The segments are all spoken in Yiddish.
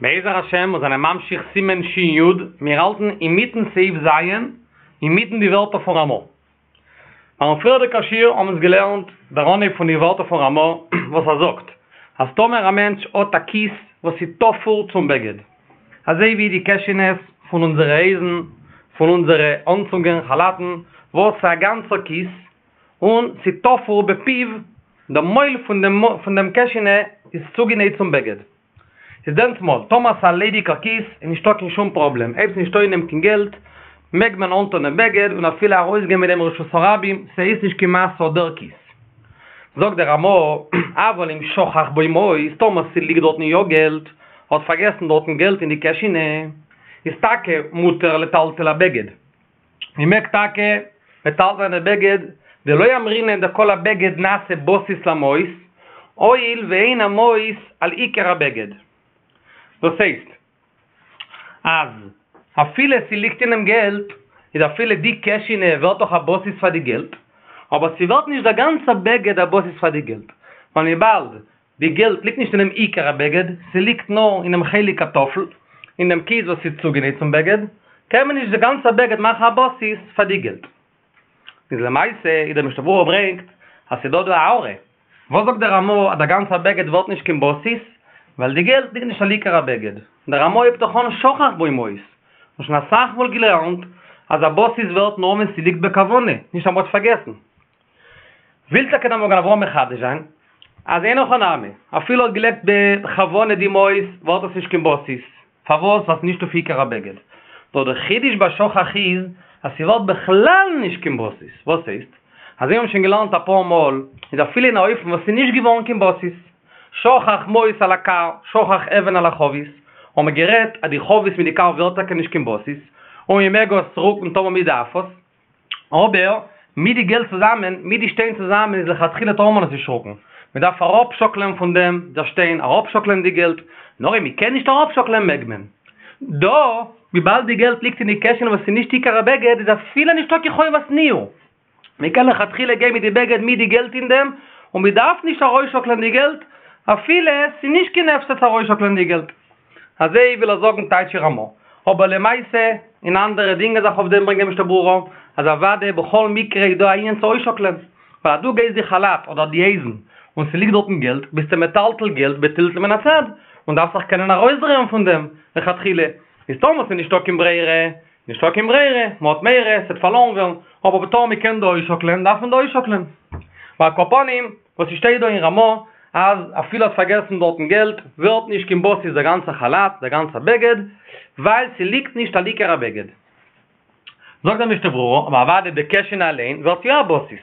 בעזר השם מיר זענען ממשיך סימן שין יוד, מיר האלטן אינמיטן סעיף ז', אינמיטן די ווערטער פון רמא. ביים פריערדיגע שיעור האבן אונז געלערנט דער אנהייב פון די ווערטער פון רמא וואס ער זאגט אז טאמער א מענטש האט א כיס וואס איז תפור צום בגד, אזוי ווי די קעשענעס פון אונזערע הויזן, פון אונזערע אנצוגען, כאלאטן, וואס ס'איז א גאנצער כיס, און ס'איז תפור בפיו, דער מויל פון דעם קעשענע איז צוגענייט צום בגד. איז דענסמאל, טאמער ס'איז א ליידיגער כיס, איז נישטא קיין שום פראבלעם, אויב ס'איז נישטא אין דעם קיין געלט, מעג מען אנטון דעם בגד און אפילו ארויסגיין מיט דעם רשות הרבים, ס'הייסט נישט קיין משא דער כיס. זאגט דער רמא, אבל אם שכח בו מעות, טאמער ס'ליגט דארטן יא געלט, האט פארגעסן דארטן געלט אין די קעשינע, איז טאקע מותר לטלטל הבגד. מען מעג טאקע מטלטל זיין די בגד, דלא אמרינן דכל הבגד נעשה בסיס למעות, הואיל ואין המעות על עיקר הבגד. דאס הייסט אז אפילו ס'ליגט אין דעם געלט, איז אפילו די קעשינע ווערט דאך א בסיס פאר די געלט, אבער ס'ווערט נישט דער גאנצער בגד א בסיס פאר די געלט, ווייל וויבאלד די געלט ליגט נישט אינעם עיקר הבגד, ס'ליגט נאר אינעם חלק הטפל, אין דעם כיס וואס איז צוגענייט צום בגד, קען מען נישט די גאנצע בגד מאכן א בסיס פאר די געלט. איז למעשה איז דער משנה ברורה ברענגט אז ס'דא דא א הערה, וואס זאגט דער רמא אז דער גאנצער בגד ווערט נישט קיין בסיס, ווייל די געלט ליגט נישט על עיקר הבגד, דער רמא הייבט דאך אן שכח בו מעות, און שוין אסאך מאל געלערנט אז א בסיס ווערט נאר ווען ס'ליגט בכוונה, נישט אז מ'האט פארגעסן. וויל טאקע דער מגן אברהם מחדש זיין אז אין הכי נמי, אפילו האט געלייגט בכוונה די מעות ווערט עס נישט קיין בסיס, פארוואס? ווייל ס'איז נישט אויף עיקר הבגד. נאר דער חידוש ביי שכח איז אז ס'ווערט בכלל נישט קיין בסיס, וואס הייסט? אזוי האבן שוין געלערנט אפאר מאל, איז אפילו אין א אופן וואס ס'איז נישט געווארן קיין בסיס, שכח מעות על הכר, שכח אבן על החבית, האבן מיר גערעדט אז די חבית מיט די כר ווערט טאקע נישט קיין בסיס, און מ'מעג עס רוקן טאמער מ'דארף עס, אבער מיט די געלט צוזאמען, מיט די שטיין צוזאמען איז לכתחילה טאר מען עס נישט רוקן, מען דארף אראפשאקלען פון דעם דער שטיין, אראפשאקלען די געלט, נאר אויב מען קען נישט אראפשאקלען מעג מען. דא, וויבאלד די געלט ליגט אין די קעשענע וואס איז נישט עיקר הבגד איז אפילו נישטא קיין חובת ניעור, מען קען לכתחילה גיין מיט די בגד מיט די געלט אין דעם, און מען דארף נישט ארויסשאקלען די געלט, אפילו ס'איז נישט קיין הפסד צו ארויסשאקלען די געלט. אזוי וויל ער זאגן טייטש רמא. אבער למעשה אין אנדערע דינגען זיך אויף דעם ברענגט דער משנה ברורה אז אוודאי בכל מקרה איז דא א ענין צו אויסשאקלען, ווייל אז דו גייסט די כאלאט אדער די הויזן און ס'ליגט דארטן געלט ביסטו מטלטל געלט בטלטול מן הצד און דארפסט זיך קענען ארויסדרייען פון דעם לכתחילה, איז טאמער ס'איז נישטא קיין ברירה, נישטא קיין ברירה, מ'האט מורא ס'וועט פארלוירן ווערן, אבער טאמער מ'קען דא אויסשאקלען דארף מען דא אויסשאקלען. ועל כל פנים, וואס ס'שטייט דא אין רמא אז אפילו האט פארגעסן דארטן געלט ווערט נישט קיין בסיס דער גאנצער כאלאט, דער גאנצער בגד, ווייל ס'ליגט נישט על עיקר הבגד. זאגט דער משנה ברורה, אבער אוודאי די קעשענע אליין ווערט יא א בסיס.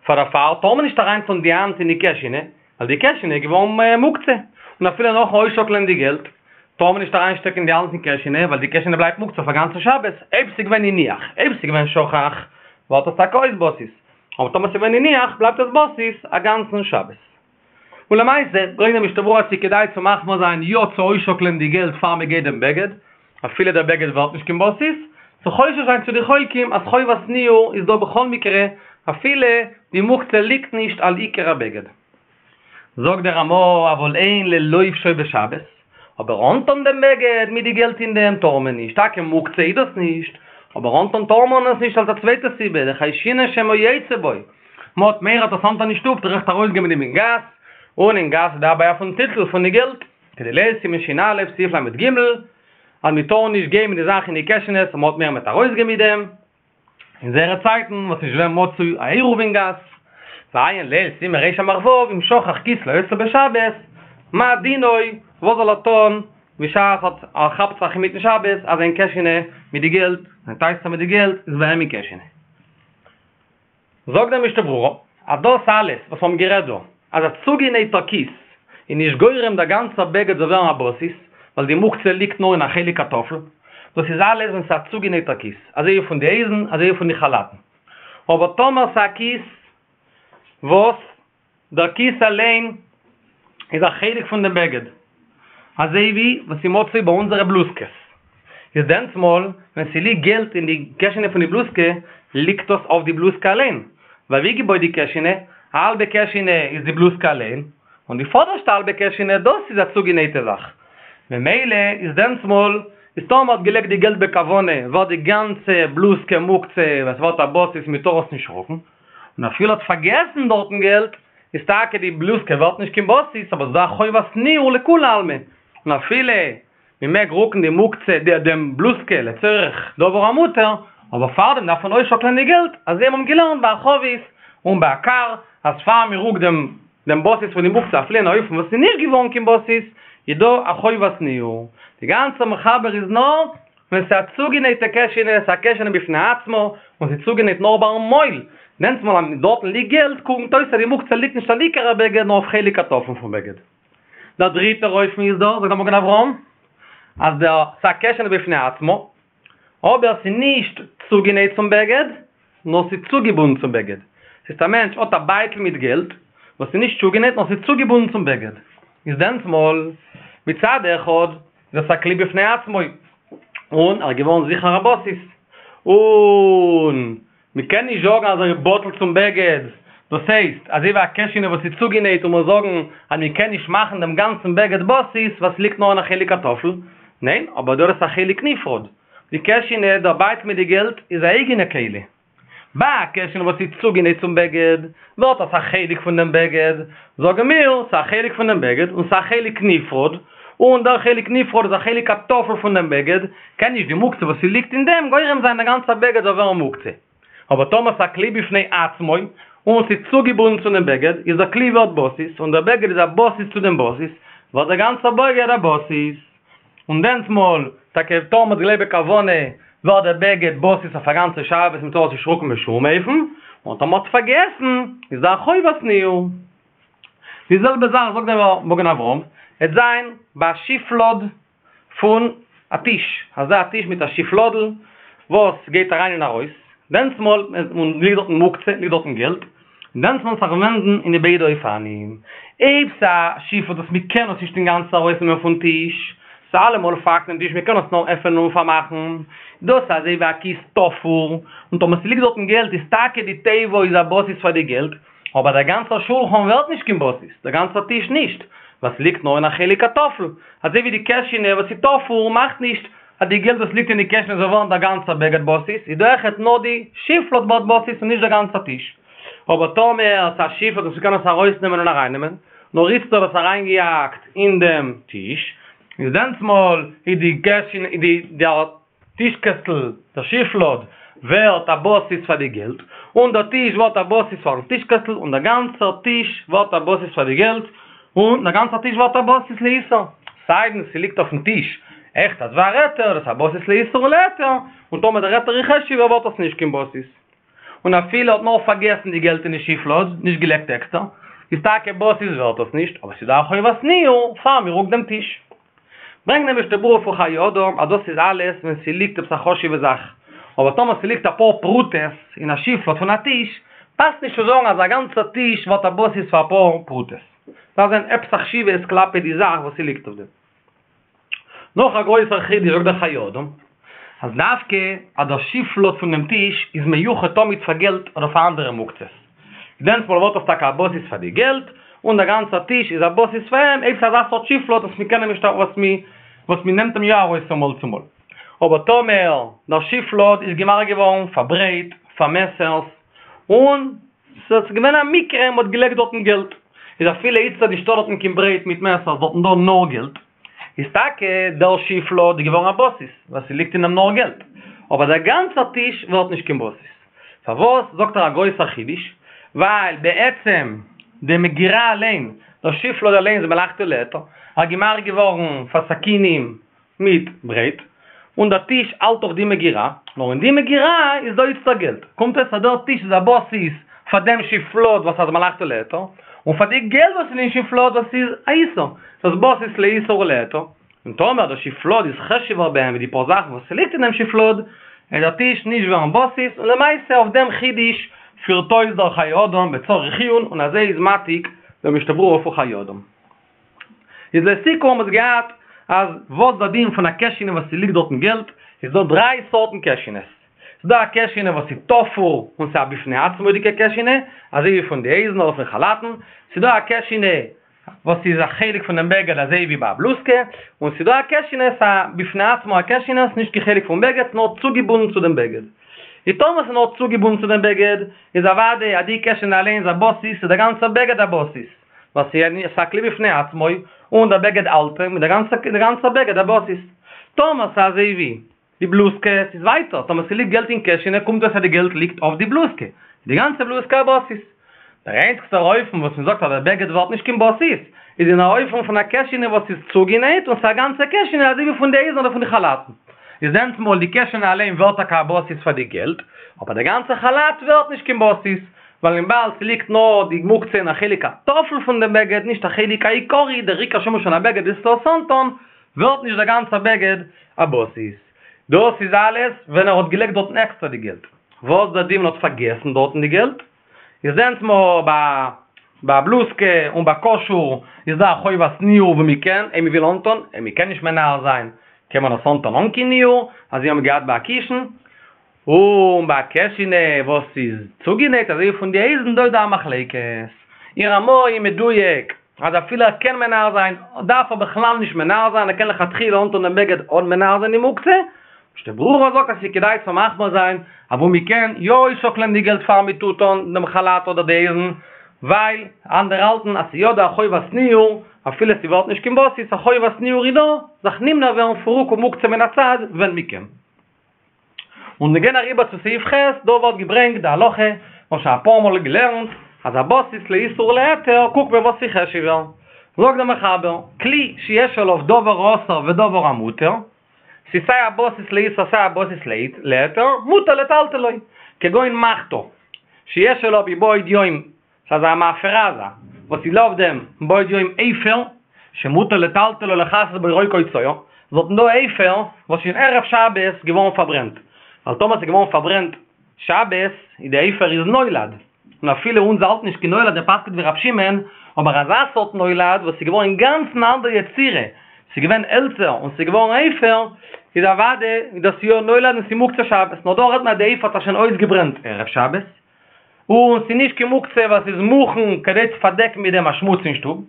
פאר דערפאר טאר מען נישט אריינטון די האנט אין די קעשענע, ווייל די קעשענע איז געווארן מוקצה, און אפילו נאכן אויסשאקלען די געלט, טאר מען נישט אריינשטעקן די האנט אין קעשענע, ווייל די קעשענע בלייבט מוקצה אויף א גאנצן שבת, אויב ס'איז געווען הניח, אויב ס'איז געווען שכח, ווערט עס טאקע אויס בסיס, אבער טאמער ס'איז געווען הניח, בלייבט עס בסיס א גאנצן שבת. און למעשה, ברענגט דער משנה ברורה אז ס'איז כדאי צו מחמיר זיין יא צו אויסשאקלען די געלט פאר מ'גייט דעם בגד, אפילו דער בגד ווערט נישט קיין בסיס, צו חושש זיין צו די חולקים אז חובת ניעור איז דא בכל מקרה אפילו די מוקצה ליגט נישט על עיקר הבגד. זאגט דער רמא אבל אין ללובשו בשבת, אבער אנטון דעם בגד מיט די געלט אין דעם טאר מען נישט, טאקע מוקצה איז דאס נישט, אבער אנטון טאר מען עס נישט אלס א צווייטע סיבה, דחיישינן שמא יצא בו, מ'האט מורא אז עס אנטון אין שטוב טראכט ארויסגיין מיט דעם אין גאס, און אין גאס איז דא א בעיה פון טלטול פון די געלט. כדלעיל סימן ש"א סעיף ל"ג, אז מען טאר נישט גיין מיט די זאך אין די קעשענעס און מען האט מורא מ'וועט ארויסגיין מיט דעם, אין זייערע צייטן וואס נישט געווען מצוי א עירוב אין גאס, ועיין לעיל סימן רס"ו אם שכח כיס לו אצלו בשבת, מה דינו, וואס זאל ער טון בשעת ער כאפט זיך אינמיטן שבת אז זיין קעשענע מיט די געלט, זיין טייסטער מיט די געלט איז ביי אים אין קעשענע. זאגט דער משנה ברורה אז דאס אלעס וואס מיר האבן גערעדט דא, אז א צוגענייטער כיס איז נישט גורם דער גאנצער בגד זאל ווערן א בסיס, ווייל די מוקצה ליגט נאר אין א חלק הטפל, דאס איז אלעס ווען ס'איז א צוגענייטער כיס, אזוי ווי פון די הויזן, אזוי ווי פון די כאלאטן. אבער טאמער ס'איז א כיס וואס דער כיס אליין איז א חלק פון דעם בגד, אזוי ווי וואס איז מצוי ביי אונזערע בלוזקעס, איז דענסמאל ווען ס'ליגט געלט אין די קעשענע פון די בלוזקע, ליגט דאס אויף די בלוזקע אליין, ווייל ווי געבויט די קעשענע, א האלבע קעשענע איז די בלוזקע אליין, און די פאדערשטע האלבע קעשענע דאס איז א צוגענייטע זאך. ממילא איז דענסמאל איז טאמער מ'האט געלייגט די געלט בכוונה ווערט די גאנצע בלוזקע מוקצה ווייל ס'ווערט א בסיס מ'טאר עס נישט רוקן, און אפילו האט פארגעסן דארטן געלט איז טאקע די בלוזקע ווערט נישט קיין בסיס אבער ס'דא א חובת ניעור לכולי עלמא און אפילו מ'מעג רוקן די מוקצה די דעם בלוזקע לצורך דבר המותר אבער פארדעם דארף מען אויסשאקלען די געלט אזוי האבן געלערנט ביי א חבית און ביי א כר אז פאר מ'רוקט דעם דעם בסיס פון די מוקצה אפילו אין אופן וואס איז נישט געווארן קיין בסיס, איז דא א חובת ניעור. די גאנצע מחבר איז נאר ווען ס'איז א צוגענייטע קעשענע, ס'איז א קעשענע בפני עצמו, און ס'איז צוגענייט נאר ביים מויל, דענסמאל אז דארטן ליגט געלט קומט אויס אז די מוקצה ליגט נישט על עיקר הבגד נאר אויף חלק הטפל פון בגד. דער דריטער אופן איז דא, זאגט דער מגן אברהם, אז דער ס'איז א קעשענע בפני עצמו, אבער ס'איז נישט צוגענייט צום בגד, נאר ס'איז צוגעבונדן צום בגד. ס'הייסט א מענטש האט א בייטל מיט געלט, וואס איז נישט צוגענייט נאר ס'איז צוגעבונדן צום בגד. איז דענסמאל, מצד אחד, איז עס א כלי בפני עצמו, און ער איז געווארן זיכער א בסיס. און מ'קען נישט זאגן אז ער איז בטל צום בגד, דאס הייסט, אזוי ווי א קעשענע וואס איז צוגענייט און מיר זאגן אז מ'קען נישט מאכן דעם גאנצן בגד בסיס ווייל ס'ליגט נאר אין א חלק הטפל. ניין, אבער דא איז עס א חלק נפרד. די קעשענע, דער בייטל מיט די געלט, איז א אייגענע כלי. ביי א קעשענע וואס איז צוגענייט צום בגד, ווערט עס א חלק פון דעם בגד, זאגן מיר, ס'איז א חלק פון דעם בגד, און ס'איז א חלק נפרד, און דער חלק נפרד איז א חלק הטפל פון דעם בגד, קען נישט די מוקצה וואס ס'ליגט אין דעם גורם זיין דער גאנצער בגד זאל ווערן מוקצה. אבער טאמער ס'איז א כלי בפני עצמו, און ס'איז צוגעבונדן צו דעם בגד, איז דער כלי ווערט בסיס, און דער בגד איז א בסיס צו דעם בסיס, ווערט דער גאנצער בגד א בסיס. און דענסמאל, טאקע טאמער מ'האט געלייגט בכוונה, ווערט דער בגד בסיס אויף א גאנצע שבת מ'טאר עס נישט רוקן בשום אופן, און טאמער מ'האט פארגעסן, איז דא א חובת ניעור. די זעלבע זאך זאגט דער מגן אברהם, עט זיין ביי א שיפלאד פון א טיש, אזא טיש מיט א שיפלאדל וואס גייט אריין און ארויס, דענסמאל, און ליגט דארטן מוקצה, ליגט דארטן געלט, דענסמאל זיך ווענדן אין די ביידע אופנים, אויב ס'איז א שיפלאד וואס מ'קען עס נישט אינגאנצן ארויסנעמען פון טיש, ס'איז אלעמאל פאקט אין טיש מ'קען עס נאר עפענען און פארמאכן, דאס איז אזוי ווי א כיס תפור, און טאמער ס'ליגט דארטן געלט איז טאקע די תיבה איז א בסיס פאר די געלט, אבער דער גאנצער שולחן ווערט נישט קיין בסיס, דער גאנצער טיש נישט, ווייל ס'ליגט נאר אין א חלק הטפל, אזוי ווי די קעשענע וואס איז תפור מאכט נישט אז די געלט וואס ליגט אין די קעשענע זאל ווערן דער גאנצער בגד בסיס, איז דא אויכעט נאר די שיפלאד ווערט בסיס און נישט דער גאנצער טיש. אבער טאמער ס'איז א שיפלאד וואס מ'קען עס ארויסנעמען און ארייננעמען, נאר איצט האט עס אריינגעהאקט אין דעם טיש, איז דענסמאל איז די קעשענע איז די דער טישקעסטל, דער שיפלאד, ווערט א בסיס פאר די געלט, און דער טיש ווערט א בסיס פארן טישקעסטל, און דער גאנצער טיש ווערט א בסיס פאר די געלט, און דער גאנצער טיש ווערט א בסיס לאיסור, סיידן ס'ליגט אויפן טיש עכט א דבר היתר, דאס איז א בסיס לאיסור ולהיתר, און טאמער דער היתר איז חשוב'ער ווערט עס נישט קיין בסיס. און אפילו האט נאר פארגעסן די געלט אין די שיפלאד, נישט געלייגט עקסטער, איז טאקע בסיס ווערט עס נישט, אבער ס'איז דא א חובת ניעור פאר מ'רוקט דעם טיש. ברענגט דער משנה ברורה פון חיי אדם אז דאס איז אלעס ווען ס'ליגט עפעס א חשוב'ע זאך, אבער טאמער ס'ליגט אפאר פרוטות אין א שיפלאד פון א טיש, פאסט נישט צו זאגן אז א גאנצער טיש ווערט א בסיס פאר אפאר פרוטות. דארף זיין עפעס א חשיבות כלפי די זאך וואס ס'ליגט אויף דעם. נאך א גרויסער חידוש זאגט דער חיי אדם, אז דווקא אז דער שיפלאד פון דעם טיש איז מיוחד תמיד פאר געלט אדער פאר אנדערע מוקצות, דענסמאל ווערט עס טאקע א בסיס פאר די געלט, און דער גאנצער טיש איז א בסיס פאר אים, אויב ס'איז אזא סארט שיפלאד וואס מ'קען אים נישט וואס מ וואס מ'נעמט אים יא ארויס פון מאל צו מאל. אבער טאמער דער שיפלאד איז געמאכט געווארן פאר ברעט, פאר מעסערס, און ס'איז געווען א מקרה מ'האט געלייגט דארטן געלט, איז אפילו איצטער נישטא דארטן קיין ברעט מיט מעסערס דארטן דא נאר געלט, איז טאקע דער שיפלאד איז געווארן א בסיס, ווייל ס'ליגט אין אים נאר געלט, אבער דער גאנצער טיש ווערט נישט קיין בסיס. פארוואס זאגט ער א גרויסער חידוש? ווייל בעצם די מגירה אליין, דער שיפלאד אליין איז מלאכתו להיתר, ער איז געמאכט געווארן פאר סכינים מיט ברעט, און דער טיש האלט דאך די מגירה, נאר אין די מגירה איז דא איצטער געלט, קומט אויס אז דער טיש איז א בסיס פאר דעם שיפלאד וואס איז מלאכתו להיתר, און פאר די געלט וואס איז אין שיפלאד וואס איז א איסור, דאס בסיס לאיסור ולהיתר. און טאמער דער שיפלאד איז חשוב'ער ביי אים ווי די פאר זאכן וואס ס'ליגט אין דעם שיפלאד, וועט דער טיש נישט ווערן בסיס, און למעשה אויף דעם חידוש פירט אויס דער חיי אדם בצריך עיון און אזוי איז מעתיק דער משנה ברורה פון חיי אדם. איז לסיכום האבן מיר געהאט אז וואס דער דין פון א קעשענע וואס ס'ליגט דארטן געלט, איז דא דריי סארטן קעשענעס, ס'איז דא א קעשענע וואס איז תפור און ס'איז א בפני עצמו'דיגע קעשענע, אזוי ווי פון די הויזן אדער פון כאלאטן, ס'איז דא א קעשענע. וואס איז א חלק פון דעם בגד אזוי ווי ביי א בלוזקע, און ס'איז דא א קעשענע, ס'א בפני עצמו א קעשענע, ס'נישט קיין חלק פון בגד, ס'נאר צוגעבונדן צו דעם בגד. איז טאמער ס'איז נאר צוגעבונדן צו דעם בגד, איז אוודאי אז די קעשענע אליין איז א בסיס, איז דער גאנצער בגד א בסיס, ווייל ס'איז א כלי בפני עצמו, און דער בגד האלט אים, איז דער גאנצער בגד א בסיס. טאמער ס'איז אזוי ווי די בלוזקע, ס'איז ווייטער, טאמער ס'ליגט געלט אין קעשענע קומט אויס אז די געלט ליגט אויף די בלוזקע, איז די גאנצע בלוזקע א בסיס. דער איינציגסטער אופן וואס מ'זאגט אז דער בגד ווערט נישט קיין בסיס, איז אין א אופן פון א קעשענע וואס איז צוגענייט און ס'איז א גאנצע קעשענע אזוי ווי פון די הויזן אדער פון די כאלאטן. איז דענסמאל די קעשענע אליין ווערט טאקע א בסיס פאר די געלט, אבער דער גאנצער כאלאט ווערט נישט קיין בסיס, ווייל וויבאלד ס'ליגט נאר די מוקצה אין א חלק הטפל פון דעם בגד, נישט א חלק העיקרי, דער עיקר שימוש פון א בגד איז צו עס אנטון, ווערט נישט דער גאנצער בגד א בסיס. דאס איז אלעס ווען ער האט געלייגט דארטן עקסטער די געלט. וואס דער דין ווען ער האט פארגעסן דארטן די געלט? איז דענסמאל ביי ביי א בלוזקע און ביי קשור איז דא א חובת ניעור וואו מ'קען, אויב מ'וויל אנטון, אויב מ'קען נישט מנער זיין קען מען עס אנטון אן קיין ניעור, אזוי האבן מיר געהאט ביי א קישן. און ביי א קעשענע וואס איז צוגענייט אזוי ווי פון די הויזן דא איז דא א מחלוקת. אין רמ"א איז מדויק אז אפילו ער קען מנער זיין דארף ער בכלל נישט מנער זיין ער קען לכתחילה אנטון דעם בגד אן מנער זיין די מוקצה, משנה ברורה זאגט אז ס'איז כדאי צו מחמיר זיין אז וואו מ'קען יא אויסשאקלען די געלט פאר מ'טוט אן דעם כאלאט אדער די הויזן ווייל אנדערע האלטן אז ס'איז יא דא א חובת ניעור אפילו ס'ווערט נישט קיין בסיס א חובת ניעור איז דא זיך נמנע ווערן פון רוקו מוקצה מן הצד ווען מ'קען. און מיר גייען אריבער צו סעיף ח', דא ווערט געברענגט די הלכה, מ'האט שוין אפאר מאל געלערנט, אז א בסיס לאיסור ולהיתר קוקט מען וואס איז חשוב'ער. זאגט דער מחבר, כלי שיש עליו דבר האסור ודבר המותר, ס'איז סיי א בסיס לאיסור סיי א בסיס להיתר, מותר לטלטלו, כגון מחתה, שיש עליו מבעוד יום ס'איז אזא מאפרה אזא, וואס איז אויף דעם מבעוד יום אפר, שמותר לטלטלו לכסות בו רוק או צואה, דארטן דא אפר וואס איז שוין ערב שבת געווארן פארברענט, ווייל טאמער ס'איז געווארן פארברענט שבת איז די אפר איז נולד, און אפילו אונז האלטן נישט קיין נולד מ'פסק'נט ווי רב שמעון, אבער אזא סארט נולד וואס איז געווארן אינגאנצן אנדער יצירה, ס'איז געווען העלצער און ס'איז געווארן אפר, איז אוודאי איז דאס יא נולד און ס'איז מוקצה שבת, נאר דא רעדט מען אז די אפר האט זיך שוין אויסגעברענט ערב שבת. און ס'איז נישט קיין מוקצה ווייל ס'איז מוכן כדי צו פארדעקן מיט דעם א שמוץ אין שטוב.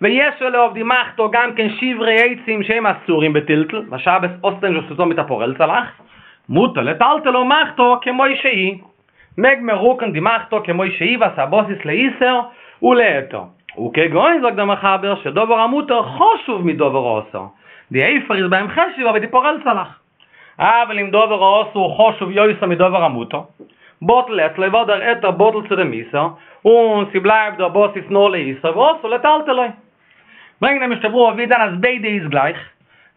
ויש עליה אויף די מחתה גם כן שברי עצים שהם אסורים בטלטול, ווייל שבת האסטו נישט וואס צו טון מיט אפאר העלצערלעך, מותר לטלטלה מחתה כמו שהיא, מעג מען רוקן די מחתה כמו שהיא ווייל ס'איז א בסיס לאיסור ולהיתר. וכגון זאגט דער מחבר שדבר המותר חשוב מדבר האסור, די אפר איז ביי אים חשוב'ער ווי די פאר העלצערלעך. אבל אם דבר האסור חשוב יותר מדבר המותר, בטל אצלו ווערט דער היתר בטל צו דעם איסור, און ס'בלייבט דער בסיס נאר לאיסור ואסור לטלטלו. ברענגט דער משנה ברורה ווי דען אז ביידע איז גלייך,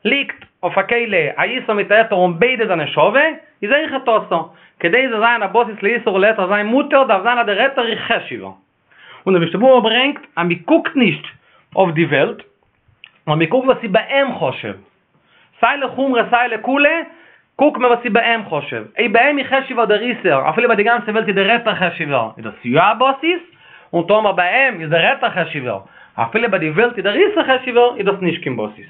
ליגט אויף א כלי א איסור מיט א היתר און ביידע זענען שווה, איז אויכעט אסור. כדי ס'זאל זיין א בסיס לאיסור ולהיתר זיין מותר דארף זיין אז דער היתר איז חשוב'ער. און דער משנה ברורה ברענגט אז מ'קוקט נישט אויף די וועלט, נאר מ'קוקט וואס איז ביי אים חשוב. סיי לחומרא סיי לקולא, קוקט מען וואס איז ביי אים חשוב. אויב ביי אים איז חשוב'ער דער איסור, אפילו ביי די גאנצע וועלט איז דער היתר חשוב'ער, איז דאס יא א בסיס, און טאמער ביי אים איז דער היתר חשוב'ער, אפילו ביי די וועלט איז דער איסור חשוב'ער, איז דאס נישט קיין בסיס.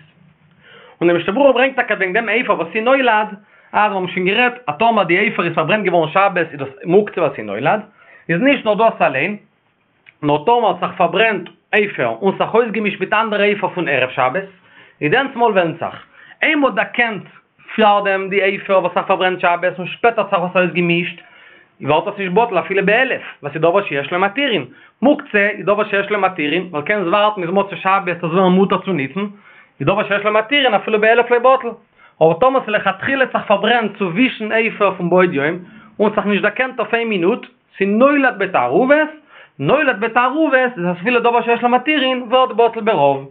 און דער משנה ברורה ברענגט טאקע וועגן דעם אפר וואס איז נולד, אז מיר האבן שוין גערעדט אז טאמער די אפר איז פארברענט געווארן שבת איז דאס מוקצה ווייל ס'איז נולד, איז נישט נאר דאס אליין, נאר טאמער האט זיך פארברענט אפר און זיך אויסגעמישט מיט אנדערע אפר פון ערב שבת, איז דענסמאל ווענדט זיך, אויב מ'האט דערקענט פארדעם די אפר וואס זיך פארברענט שבת און שפעטער האט זיך עס אויסגעמישט, ווערט עס נישט בטל אפילו באלף, ווייל ס'איז דבר שיש לו מתירין, מוקצה איז דבר שיש לו מתירין, ווייל קענסט ווארטן ביז מוצאי שבת עס ווערן מותר צו ניצן, איז דבר שיש לו מתירין אפילו באלף לא בטל. אבער טאמער ס'איז לכתחילה זיך פארברענט צווישן אפר פון מבעוד יום און זיך נישט דערקענט אויף איין מינוט, ס'איז נולד בתערובת, נולד בתערובת איז אפילו דבר שיש לו מתירין ווערט בטל ברוב.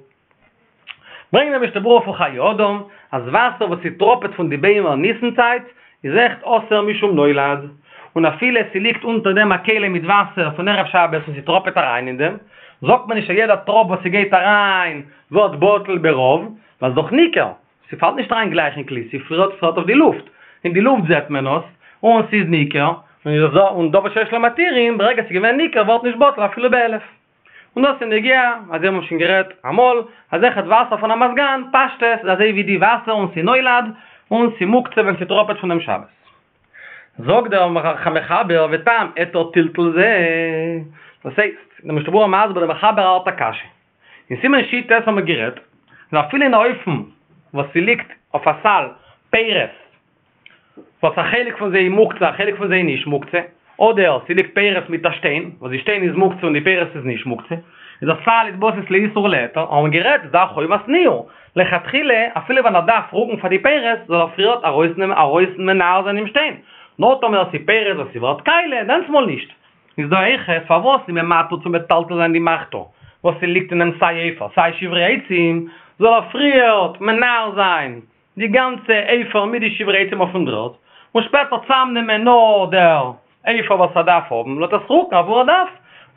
ברענגט דער משנה ברורה פון חיי אדם אז וואסער וואס ס'טראפעט פון די ביימער ניסן צייט איז אויכעט אסור משום נולד, און אפילו ס'ליגט אונטער דעם א כלי מיט וואסער פון ערב שבת און ס'טראפעט אריין אין דעם, זאגט מען נישט אז יעדע טראפ וואס ס'גייט אריין ווערט בטל ברוב, ווייל ס'דאך ניכר, ס'פאלט נישט אריין גלייך אין כלי, ס'פאלט אויף די לופט, אין די לופט זעט מען עס, און ס'איז ניכר, און דבר שיש לו מתירין, ברגע ס'איז געווען ניכר ווערט נישט בטל אפילו באלף. און דאס איז נוגע, אזוי האבן מיר שוין גערעדט אמאל, אז אויכעט וואסער פון א מזגן, פשטות איז אזוי ווי די וואסער און ס'איז נולד, און ס'איז מוקצה ווען ס'טראפעט פון דעם שבת. זאגט דער מחבר וטעם היתר טלטול זה, דאס הייסט, דער משנה ברורה מסביר דער מחבר האלט א קשיא. אין סימן שי"ט האבן מיר גערעדט אז אפילו אין א אופן וואס ס'ליגט אויף א סל פירות וואס א חלק פון זיי איז מוקצה א חלק פון זיי איז נישט מוקצה, אדער ס'ליגט פירות מיט א שטיין וואס די שטיין איז מוקצה און די פירות איז נישט מוקצה, איז א סל איז בסיס לאיסור ולהיתר, האבן מיר גערעדט איז דא א חובת ניעור, לכתחילה אפילו ווען ער דארף רוקן פאר די פירות זאל ער פריערט ארויסנעמען ארויס מנער זיין דעם שטיין, נאר טאמער ס'איז פירות וואס ס'ווערט קאליע דענסמאל נישט. איז דא אויכעט פארוואס איז מען מתיר צו מטלטל זיין די מחתה וואס ס'ליגט אין דעם סיי עפר סיי שברי עצים, זאל ער פריערט מנער זיין די גאנצע עפר מיט די שברי עצים אויפן דר'ערד, און שפעטער צאמנעמען נאר דער עפר וואס ער דארף האבן, און עס רוקן אוואו ער דארף.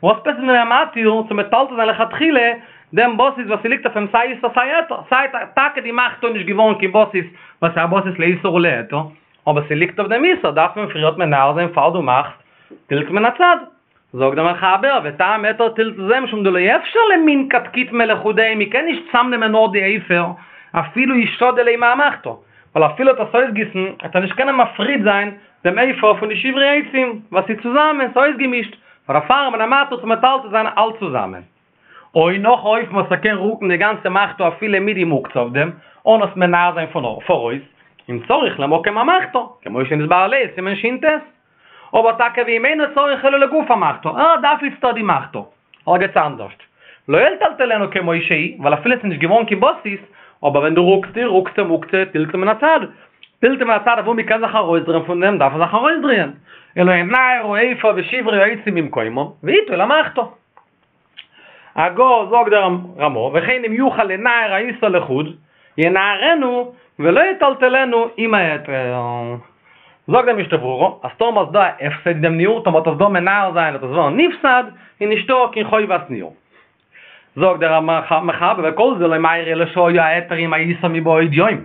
וואס עפעס איז מען מתיר צו מטלטל זיין לכתחילה דעם בסיס וואס ס'ליגט אויף אים סיי איסור סיי היתר, סיי טאקע די מחתה איז נישט געווארן קיין בסיס וואס איז א בסיס לאיסור ולהיתר, אבער ס'ליגט אויף דעם איסור דארף מען פריערט מנער זיין פאר דו מאכסט טלטול מן הצד. זאגט דער מחבר, וטעם היתר טלטול זה משום דלא אפשר למנקט קיטמא לחודיה, מ'קען נישט צאמנעמען נאר די עפר אפילו ישדי ליה מהמחתה, ווייל אפילו וועט עס אויסגיסן וועט ער נישט קענען מפריד זיין דעם עפר פון די שברי עצים, ווייל ס'איז צוזאמען, ס'איז אויסגעמישט, פאר דערפאר איז מען מתיר צו מטלטל זיין אלץ צוזאמען. או נאך א אופן וואס ער קען רוקן די גאנצע מחתה אפילו מיט די מוקצה אויף דעם, אן עס מנער זיין פון פאראויס, אם צריך למקום המחתה, כמו שנתבאר לעיל סימן ש"ט. אבער טאקע ואם אינו צריך אלא לגוף המחתה, ער דארף איצטער די מחתה, ערגעץ אנדערשט. לא יטלטלנו כמו שהיא, ווייל אפילו עס איז נישט געווארן קיין בסיס, אבער ווען דו רוקסט איר, רוקסטו מוקצה, טלטול מן הצד. טלטול מן הצד אוואו מען קען זיך ארויסדרייען פון דעם, דארף מען זיך ארויסדרייען. אלא ינער העפר ושברי העצים ממקומם, ויטול המחתה. הגה זאגט דער רמא, וכן אם יוכל לנער האיסור לחוד, ינערנו ולא יטלטלנו עם ההיתר. זאגט דער משנה ברורה, אז טאמער איז דא א הפסד אין דעם ניעור, טאמער וועט עס דא מנער זיין וועט עס ווערן נפסד, איז נישטא קיין חובת ניעור. זאגט דער מחבר, וכל זה לא מיירי אלא שהיה ההיתר עם האיסור מבעוד יום.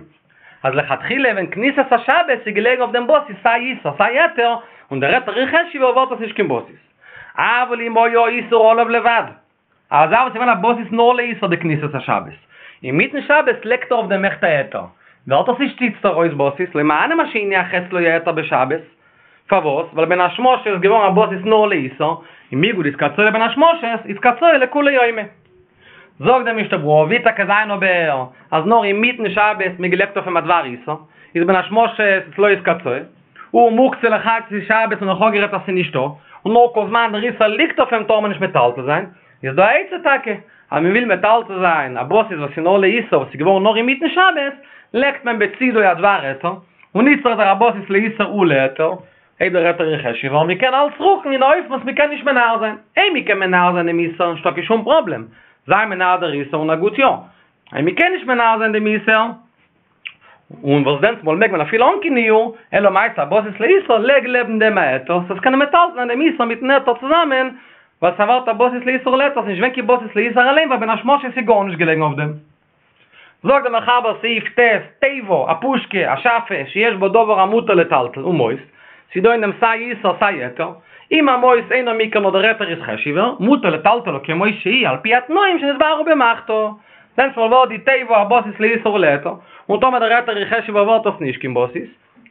אז לכתחילה ווען כניסת השבת איז געלעגן אויף דעם בסיס סיי איסור סיי היתר, און דער היתר איז חשוב'ער ווערט עס נישט קיין בסיס. אבל אם היה האיסור עליו לבד, אזא וואס איז געווען א בסיס נאר לאיסור דכניסת השבת, אינמיטן שבת לייגט ער אויף דעם אויכעט א היתר, ווערט עס נישט איצטער אויס בסיס, לא מהני מה שהניח אצלו ההיתר בשבת, פארוואס? ווייל בין השמשות איז געווארן א בסיס נאר לאיסור, און מיגו דאיתקצאי לבין השמשות, איתקצאי לכולי יומא. זאגט דער משנה ברורה, ווי טאקע זיין אבער אז נאר אינמיטן שבת מ'האט געלייגט אויף אים א דבר איסור, איז בין השמשות לא איתקצאי, ומוקצה לחצי שבת און נאך אפגערעדט אז ס'איז נישטא, און נאר כל זמן דער איסור ליגט אויף אים טאר מען נישט מטלטל זיין, איז דא א עצה טאקע, אז מען וויל מטלטל זיין א בסיס וואס איז נאר לאיסור וואס איז געווארן נאר אינמיטן שבת, לייגט מען בצידו א דבר היתר, און איצטער איז ער א בסיס לאיסור ולהיתר, אויב דער היתר איז חשוב'ער, מען קען אלץ רוקן אין א אופן וואס מען קען נישט מנער זיין, אויב מען קען מנער זיין דעם איסור נישטא קיין שום פראבלעם, זיי מנער דער איסור און א גוט יאר, אויב מען קען נישט מנער זיין דעם איסור, און וואס דענסטמאל מעג מען אפילו אן קיין ניעור, אלא מאי ס'א בסיס לאיסור, לייג לעבן דעם א היתר, ס'זאל קענען מטלטל זיין דעם איסור מיטן היתר צוזאמען, ווייל ס'ווערט א בסיס לאיסור ולהיתר, ס'איז נישט געווען קיין בסיס לאיסור אליין ווייל בין השמשות איז גארנישט געלעגן אויף דעם. זאגט דער מחבר סעיף ט', תיבה, א פושקע, א שאפע, שיש בה דבר המותר לטלטל, ומוס, ס'איז דא אין דעם סיי איסור סיי היתר, אם המוס אינו מעיקר נאר דער היתר איז חשוב'ער, מותר לטלטלה כמו שהיא על פי התנאים שנתבארו במחתה. דענסטמאל ווערט די תיבה א בסיס לאיסור ולהיתר, און טאמער דער היתר איז חשוב'ער ווערט עס נישט קיין בסיס.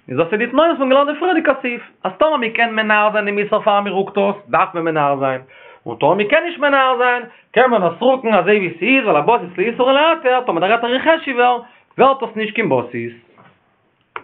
איז דאס איז די תנאים וואס מ'האט געלערנט אין פריערדיגע סעיף, אז טאמער מ'קען מנער זיין דעם איסור פאר מ'רוקט עס, דארף מען מנער זיין, און טאמער מ'קען נישט מנער זיין, קען מען עס רוקן אזוי ווי ס'איז, ווייל א בסיס לאיסור ולהיתר, טאמער דער היתר איז חשוב'ער, ווערט עס נישט קיין בסיס.